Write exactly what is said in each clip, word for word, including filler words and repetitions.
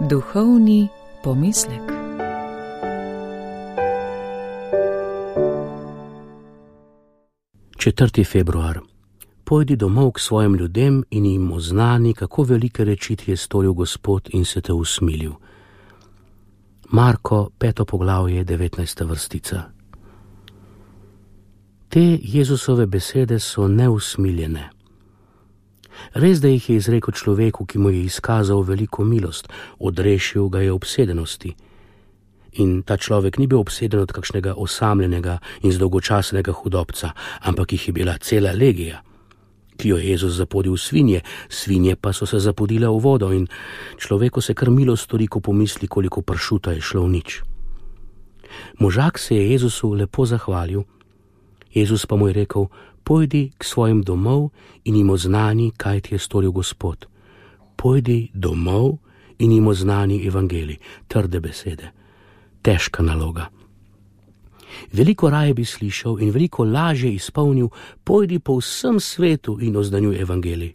Duhovni pomislek. četrti februar. Pojdi domov k svojim ljudem in jim oznani, kako velike reči ti je storil Gospod in se te usmilil. Marko, peto poglavje, devetnajsta vrstica. Te Jezusove besede so neusmiljene. Res, da jih je izrekel človeku, ki mu je izkazal veliko milost, odrešil ga je obsedenosti. In ta človek ni bil obseden od kakšnega osamljenega in zdolgočasnega hudobca, ampak jih je bila cela legija, ki jo je Jezus zapodil v svinje, svinje pa so se zapodile v vodo in človeku se kar milo stori, ko pomisli, koliko pršuta je šlo v nič. Možak se je Jezusu lepo zahvalil, Jezus pa mu je rekel: pojdi k svojim domov in jim oznani, kaj ti je storil Gospod. Pojdi domov in jim oznani evangelij. Trde besede, težka naloga. Veliko raje bi slišal in veliko lažje izpolnil: pojdi po vsem svetu in oznanjuj evangelij.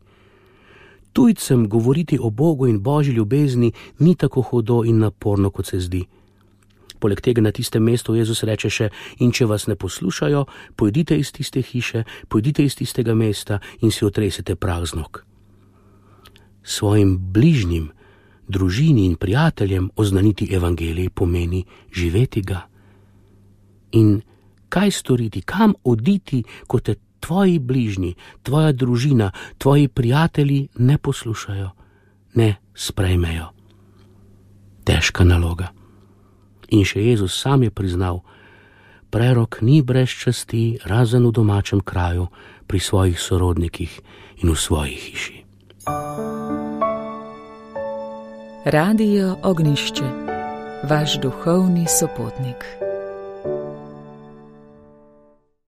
Tujcem govoriti o Bogu in Božji ljubezni ni tako hudo in naporno, kot se zdi. Poleg tega na tistem mestu Jezus reče še: in če vas ne poslušajo, pojdite iz tiste hiše, pojdite iz tistega mesta in si otresite prah z nog. Svojim bližnjim, družini in prijateljem oznaniti evangelij pomeni živeti ga. In kaj storiti, kam oditi, ko te tvoji bližnji, tvoja družina, tvoji prijatelji ne poslušajo, ne sprejmejo? Težka naloga. In še Jezus sam je priznal: prerok ni brez časti, razen v domačem kraju, pri svojih sorodnikih in v svoji hiši. Radio Ognjišče, vaš duhovni sopotnik.